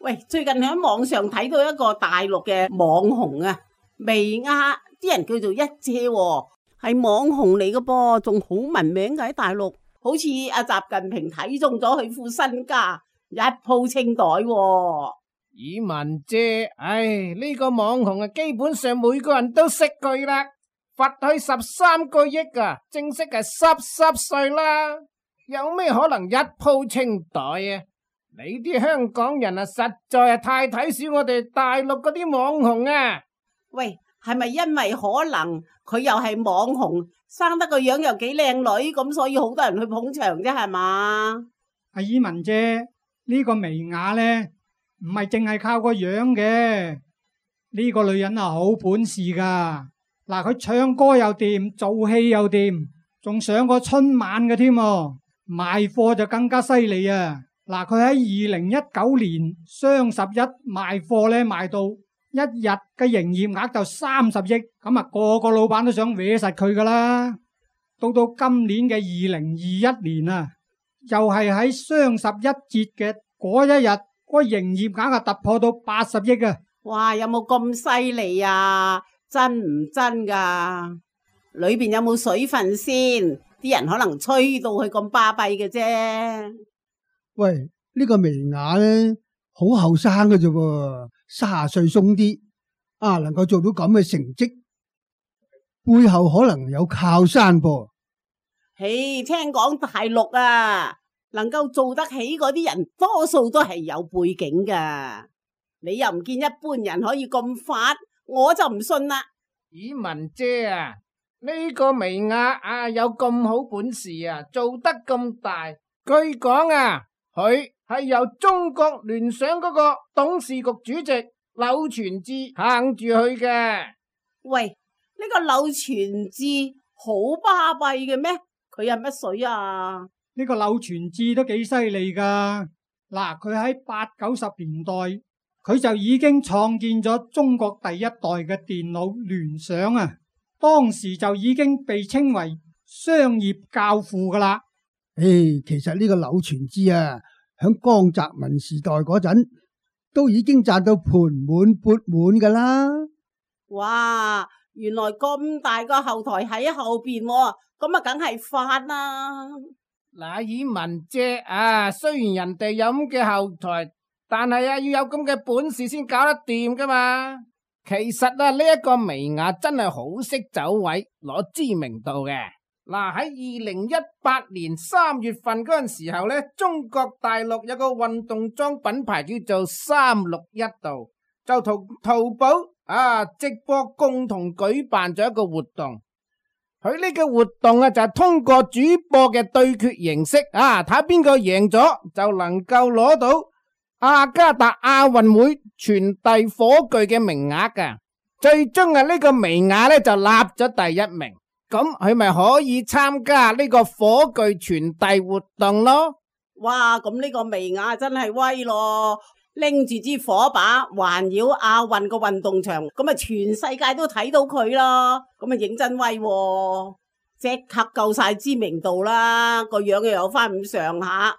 喂，最近喺網上睇到一個大陸嘅網紅啊，薇婭，啲人叫做一姐喎，係網紅嚟嘅噃，仲好聞名嘅喺大陸。好似阿習近平睇中咗佢副身家，一鋪清袋喎。以文姐，呢個網紅啊，基本上每個人都識佢啦，罰佢13個億啊，正式係濕碎啦，有咩可能一鋪清袋啊？你啲香港人啊，實在係太睇小我哋大陸嗰啲網紅啊！喂，係咪因為可能佢又係網紅，生得個樣又幾靚女，咁所以好多人去捧場啫，係嘛？阿以文姐，呢個薇婭呢，唔係淨係靠個樣嘅，呢個女人啊好本事噶。嗱，佢唱歌又掂，做戲又掂，仲上過春晚嘅添，賣貨就更加犀利啊！嗱，佢喺2019年雙十一賣貨呢，賣到一日嘅營業額就30億，咁啊個老闆都想搲實佢噶啦。到今年嘅2021年啊，又係喺雙十一節嘅嗰一日，個營業額啊突破到80億啊！哇，有冇咁犀利啊？真唔真噶？裏邊有冇水分先？啲人可能吹到佢咁巴閉嘅啫。喂，呢個薇婭呢，好後生嘅啫喎，30歲鬆啲啊，能夠做到咁嘅成績，背後可能有靠山噃。嘿，聽講大陸啊，能夠做得起嗰啲人，多數都係有背景噶。你又唔見一般人可以咁發，我就唔信啦。以文姐啊，呢個薇婭啊有咁好本事啊，做得咁大，據講啊，佢係由中國聯想嗰個董事局主席柳傳志行住去嘅。喂，呢個柳傳志好巴閉嘅咩？佢係乜水啊？呢個柳傳志都幾犀利噶。嗱，佢喺80、90年代，佢就已經創建咗中國第一代嘅電腦聯想啊，當時就已經被稱為商業教父噶啦。其實呢個柳傳志啊，響江澤民時代嗰陣都已經賺到盤滿缽滿噶啦。哇，原來咁大個後台喺後邊喎，咁啊梗係發啦。嗱，以文姐啊，雖然人哋有咁嘅後台，但係啊要有咁嘅本事先搞得掂噶嘛。其實啊呢一個薇婭真係好識走位，攞知名度嘅。嗱，喺2018年3月份嗰陣時候呢，中國大陸有個運動裝品牌叫做361度，就同淘寶直播共同舉辦咗一個活動。佢呢個活動啊就係通過主播嘅對決形式睇下邊個贏咗就能夠攞到雅加達亞運會傳遞火炬嘅名額噶。最終呢個薇婭呢就立咗第1名。咁佢咪可以參加呢個火炬傳遞活動咯？哇！咁呢個薇婭真係威咯，拎住支火把環繞亞運個運動場，咁啊全世界都睇到佢咯，咁啊認真威喎，即刻夠晒知名度啦，個樣又有翻咁上下。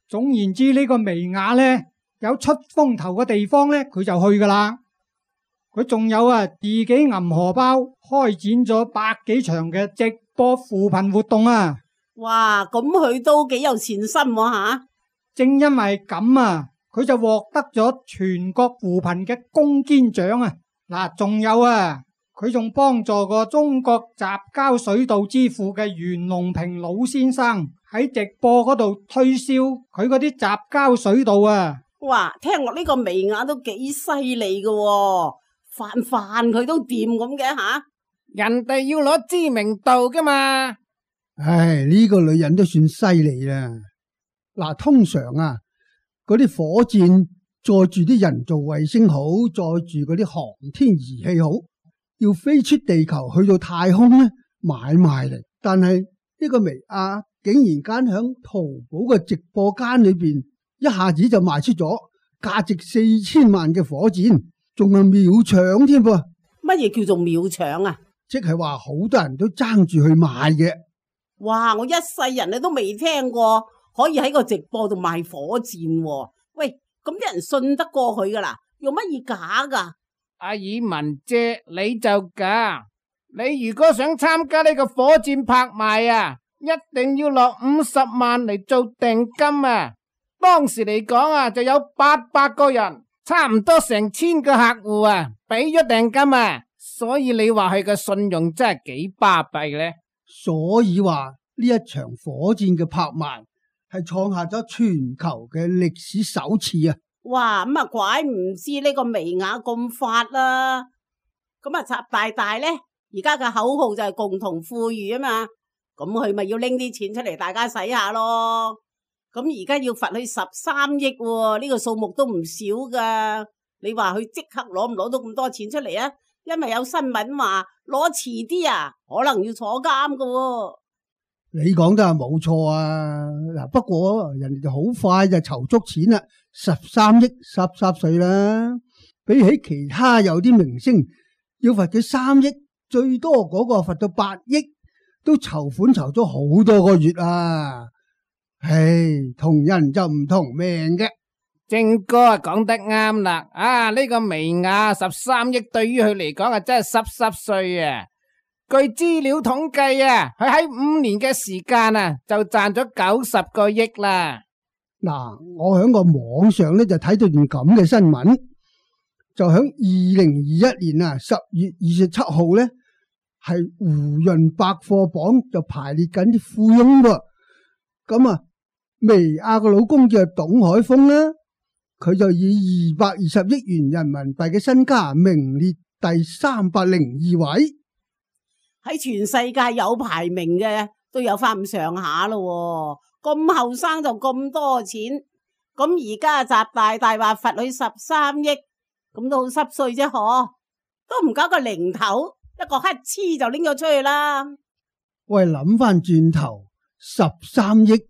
總言之，呢個薇婭呢，有出風頭嘅地方呢，佢就去噶啦。佢仲有自己揞荷包，開展咗100幾場嘅直播扶貧活動啊！哇，咁佢都幾有善心吓。正因為咁佢就獲得咗全國扶貧嘅攻堅獎啊！嗱，仲有佢仲幫助過中國雜交水稻之父嘅袁隆平老先生喺直播嗰度推銷佢嗰啲雜交水稻啊！哇，聽落呢個薇婭都幾犀利噶喎。飯佢都掂咁嘅吓，人哋要攞知名度噶嘛。呢個女人都算犀利啦。嗱，通常嗰啲火箭載住啲人造衛星好，載住嗰啲航天儀器好，要飛出地球去到太空呢，買賣嚟。但係呢個薇婭竟然間響淘寶嘅直播間裏邊，一下子就賣出咗價值4000萬嘅火箭。仲係秒搶添噃？乜嘢叫做秒搶啊？即係話好多人都爭住去買嘅。哇！我一世人你都未聽過可以喺個直播度賣火箭喎。喂，咁啲人信得過佢噶啦，用乜嘢假噶？阿爾文姐，你就假。你如果想參加呢個火箭拍賣啊，一定要落50萬嚟做訂金啊！當時嚟講啊，就有800個人，差唔多成1000個客戶啊，俾咗訂金啊！所以你話佢嘅信用真係幾巴閉呢？所以話呢一場火箭嘅拍賣係創下咗全球嘅歷史首次啊！哇，咁啊怪唔知呢個微雅咁發啦。咁啊習大大呢，而家嘅口號就係共同富裕啊嘛，咁佢咪要拎啲錢出嚟大家使下咯。咁而家要罰佢13億喎，呢個數目都唔少噶。你話佢即刻攞唔攞到咁多錢出嚟啊？因為有新聞話攞遲啲啊，可能要坐監噶喎。你講得係冇錯啊！嗱，不過人哋就好快就籌足錢啦，13億濕碎啦。比起其他有啲明星要罰佢3億，最多嗰個罰到8億，都籌款籌咗好多個月啊！唉，同人就唔同命嘅。正哥啊，講得啱啦！啊，呢個微雅13億對於佢嚟講啊，真係濕碎啊！據資料統計啊，佢喺5年嘅時間啊，就賺咗90個億啦。嗱，我喺個網上咧就睇到段咁嘅新聞，就喺2021年啊10月27號咧，係胡潤百貨榜就排列緊啲富翁喎。咁啊，微雅個老公叫董海峰啦，佢就以220億元人民幣嘅身家名列第302位。喺全世界有排名嘅都有翻咁上下咯，咁後生就咁多錢，咁而家習大大話罰佢13億，咁都好濕碎啫嗬，都唔搞個零頭，一個乞嗤就拎咗出去啦。喂，諗翻轉頭，13億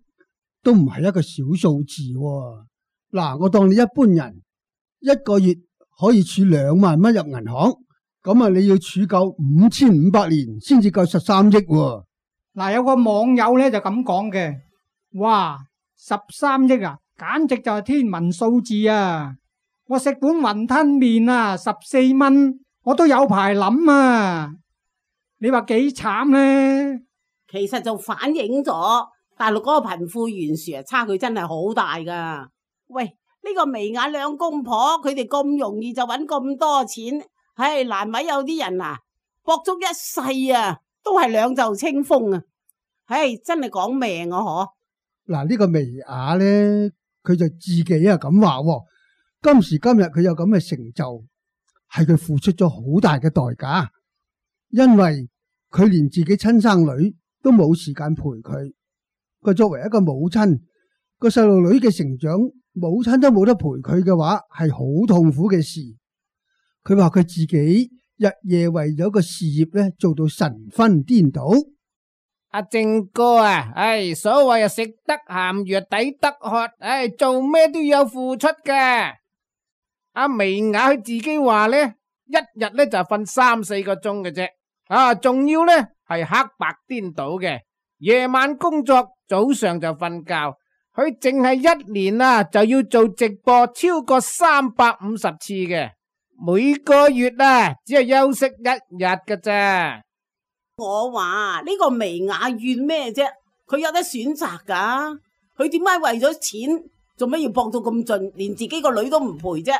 都唔係一個小數字喎。嗱，我當你一般人一個月可以儲2萬蚊入銀行。咁啊，你要儲夠5500年先至夠13億喎。嗱，有個網友咧就咁講嘅，哇，13億啊，簡直就係天文數字啊！我食碗雲吞麵啊，14蚊，我都有排諗啊！你話幾慘呢？其實就反映咗大陸嗰個貧富懸殊啊，差距真係好大噶。喂，呢個微雅兩公婆，佢哋咁容易就搵咁多錢。唉，難為有啲人啊，搏足一世啊，都係兩袖清風啊！唉，真係講命啊！嗬，嗱，呢個微雅咧，佢就自己啊咁話，今時今日佢有咁嘅成就，係佢付出咗好大嘅代價，因為佢連自己親生女都冇時間陪佢。佢作為一個母親，個細路女嘅成長，母親都冇得陪佢嘅話，係好痛苦嘅事。佢話佢自己日夜為咗個事業咧，做到神魂顛倒。阿正哥啊，唉，所謂啊，食得鹹魚抵得渴，唉，做咩都要有付出嘅。阿微雅佢自己話咧，一日咧就瞓3-4個鐘嘅啫，啊，仲要咧係黑白顛倒嘅，夜晚工作，早上就瞓覺。佢淨係1年啊就要做直播超過350次嘅。每個月啊，只係休息1日㗎咋。我話呢個微雅怨咩啫？佢有得選擇噶，佢點解為咗錢做咩要搏到咁盡，連自己個女都唔陪啫？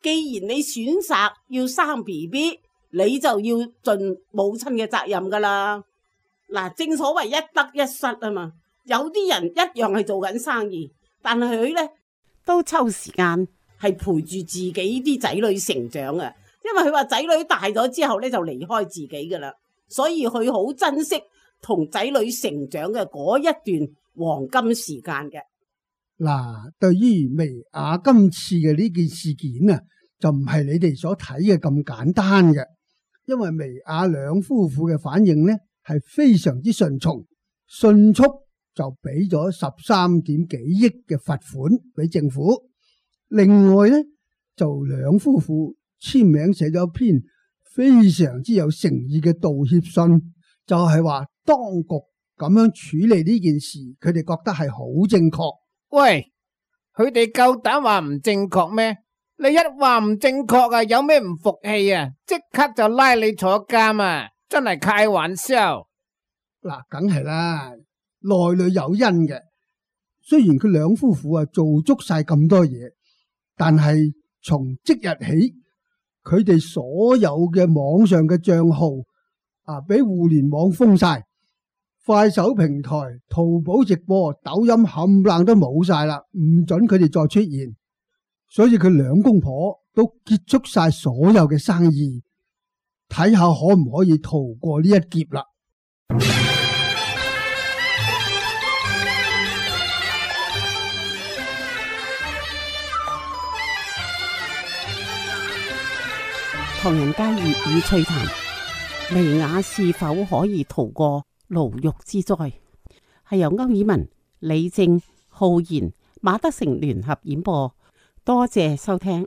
既然你選擇要生 BB，你就要盡母親嘅責任噶啦。嗱，正所謂一得一失啊嘛。有啲人一樣係做緊生意，但係佢呢都抽時間係陪住自己啲仔女成長啊。因為佢話仔女大咗之後呢，就離開自己噶啦，所以佢好珍惜同仔女成長嘅嗰一段黃金時間嘅。嗱，對於微雅今次嘅呢件事件啊，就唔係你哋所睇嘅咁簡單嘅，因為微雅兩夫婦嘅反應呢係非常之順從，迅速就俾咗13點幾億嘅罰款俾政府。另外呢，就兩夫婦簽名寫咗一篇非常之有誠意嘅道歉信，就係話當局咁樣處理呢件事，佢哋覺得係好正確。喂，佢哋夠膽話唔正確咩？你一話唔正確啊，有咩唔服氣啊？即刻就拉你坐監啊！真係開玩笑。嗱，梗係啦，內裏有因嘅。雖然佢兩夫婦啊做足晒咁多嘢，但係從即日起，佢哋所有嘅網上嘅賬號啊，俾互聯網封晒，快手平台、淘寶直播、抖音冚唪唥都冇晒啦，唔准佢哋再出現。所以佢兩公婆都結束晒所有嘅生意，睇下可唔可以逃過呢一劫啦。唐人街粵語趣談，薇婭是否可以逃過牢獄之災？係由歐爾文、李正、浩然、馬德成聯合演播。多謝收聽。